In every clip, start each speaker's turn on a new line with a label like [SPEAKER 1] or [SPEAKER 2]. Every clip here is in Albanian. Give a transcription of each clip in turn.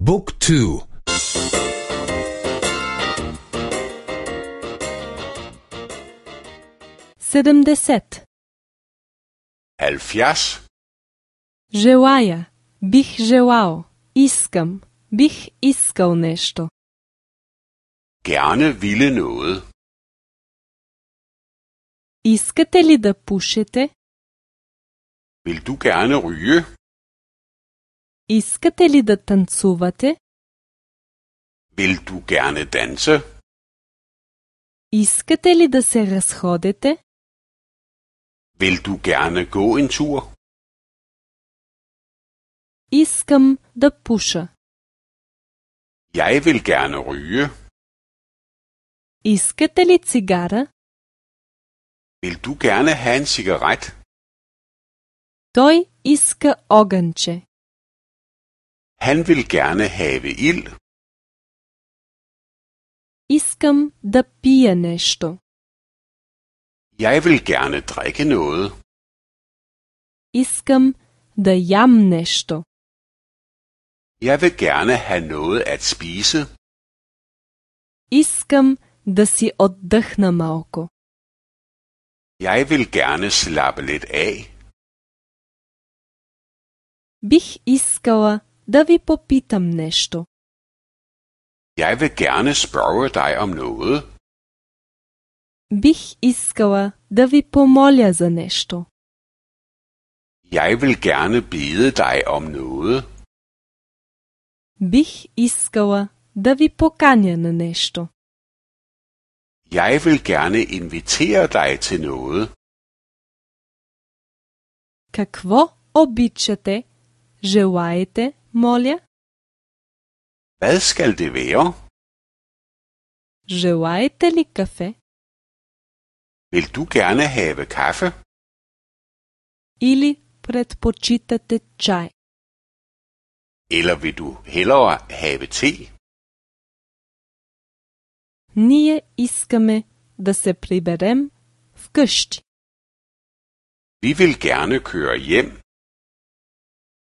[SPEAKER 1] บุ๊กทู
[SPEAKER 2] 70.
[SPEAKER 3] 70.
[SPEAKER 2] Желая, бих желал, искам, бих искал нещо.
[SPEAKER 3] Gerne ville noget.
[SPEAKER 2] Искате ли да пушете?
[SPEAKER 3] Vil du gerne ryge?
[SPEAKER 2] Искате ли да танцувате?
[SPEAKER 3] Vil du gerne danse?
[SPEAKER 2] Искате ли да се разходите?
[SPEAKER 3] Vil du gerne gå en tur?
[SPEAKER 2] Искам да пуша.
[SPEAKER 3] Jeg vil gerne ryge.
[SPEAKER 2] Искате ли цигара?
[SPEAKER 3] Vil du gerne have en cigaret?
[SPEAKER 2] Той иска огънче.
[SPEAKER 3] Han vil gerne have ild.
[SPEAKER 2] Искам да пия нещо.
[SPEAKER 3] Jeg vil gerne drikke noget.
[SPEAKER 2] Искам да ям нещо.
[SPEAKER 3] Jeg vil gerne have noget at spise.
[SPEAKER 2] Искам да си отдъхна малко.
[SPEAKER 3] Jeg vil gerne slappe lidt af.
[SPEAKER 2] Бих искала да ви попитам нещо.
[SPEAKER 3] Jeg vil gerne spørge dig om noget.
[SPEAKER 2] Бих искала да ви помоля за нещо.
[SPEAKER 3] Jeg vil gerne bede dig om noget.
[SPEAKER 2] Бих искала да ви поканя на нещо.
[SPEAKER 3] Jeg vil gerne invitere dig til noget.
[SPEAKER 2] Какво обичате? Желаете, моля?
[SPEAKER 3] Hvad skal det være?
[SPEAKER 2] Желаете ли кафе?
[SPEAKER 3] Vil du gerne have kaffe?
[SPEAKER 2] Или предпочитате чай?
[SPEAKER 3] Eller vil du hellere have te?
[SPEAKER 2] Ние искаме да се приберем вкъщи.
[SPEAKER 3] Vi vil gerne køre hjem.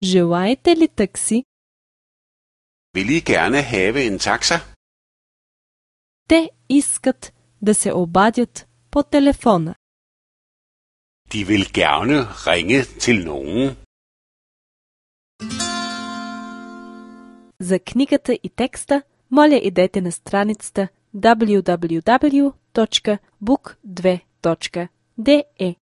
[SPEAKER 2] Желаете ли такси?
[SPEAKER 3] Vil I gerne have en taxa?
[SPEAKER 2] Те искат да се обадят по телефона.
[SPEAKER 3] De vil gerne ringe til nogen.
[SPEAKER 2] За книгата и текста, моля идете на страницата www.book2.de.